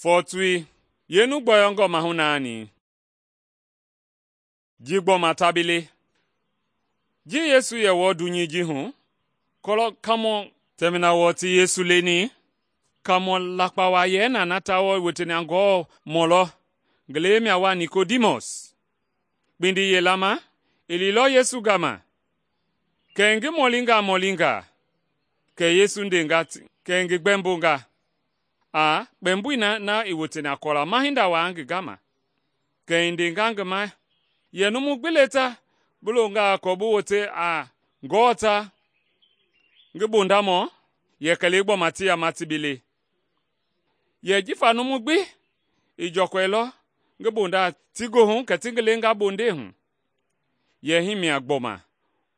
Fɔɔtoi, yeenu gbɔyɔngɔ mahu naani? Ji gbɔma ta bi le. Ji Yesu yɛ wɔɔ dunyei ji hu, kɔlɔ kaamɔ tɛmina wɔɔ ti Yesu leni, kaamɔ lakpa wa yɛ na ta wɔɔ woteni a Ngewɔ mɔlɔ, ngi lewei mia wa Nikodimɔs. Kpindi yila ma i liilɔ Yesu gama. Kɛ i ngi mɔlinga, kɛ Yesu ndenga kɛ i ngi gbɛmbonga a kpɛmboi na i woteni a kɔla ma hinda waa ngi gama. Kɛ i ndenga ngi ma yɛ numu gbi le ta bi longaa kɔɔ bi wote a Ngewɔ ta, ngi bondamɔ yɛ kɛlee gbɔma ti yama ti bi le. Yɛ jifa numu gbi i jɔkɔilɔ ngi bonda ti goohu kɛ ti ngi lenga bondei hu. Yɛ hii mia gbɔma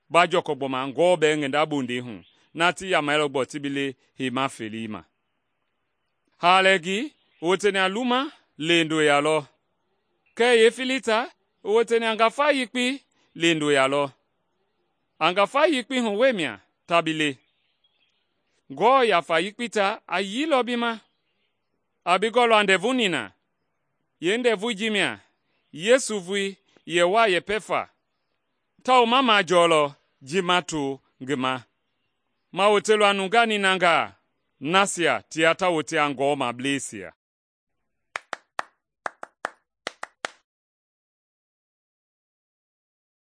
ba jɔkɔ gbɔma Ngewɔ bɛɛ ngi nda bondei hu, na ti yamailɔ gbɔ ti bi le heima felei ma. Haalɛɛgi i woteni a luma lendoya lɔ, kɛɛ yeefilii ta i woteni a ngafa yekpei lendoya lɔ. A ngafa yekpei hu we mia ta bi le. Ngewɔ yafa yekpei ta a yiilɔ bi ma, a bi gɔlɔ a ndɛvu nina. Yeendɛvui ji mia Yesu voi yɛ wa yɛpɛ fa, tawao ma majɔɔlɔ ji ma to ngi ma. Ma wotelɔ a nungaa ninangaa nasia tia ta wote a Ngewɔ mableisia.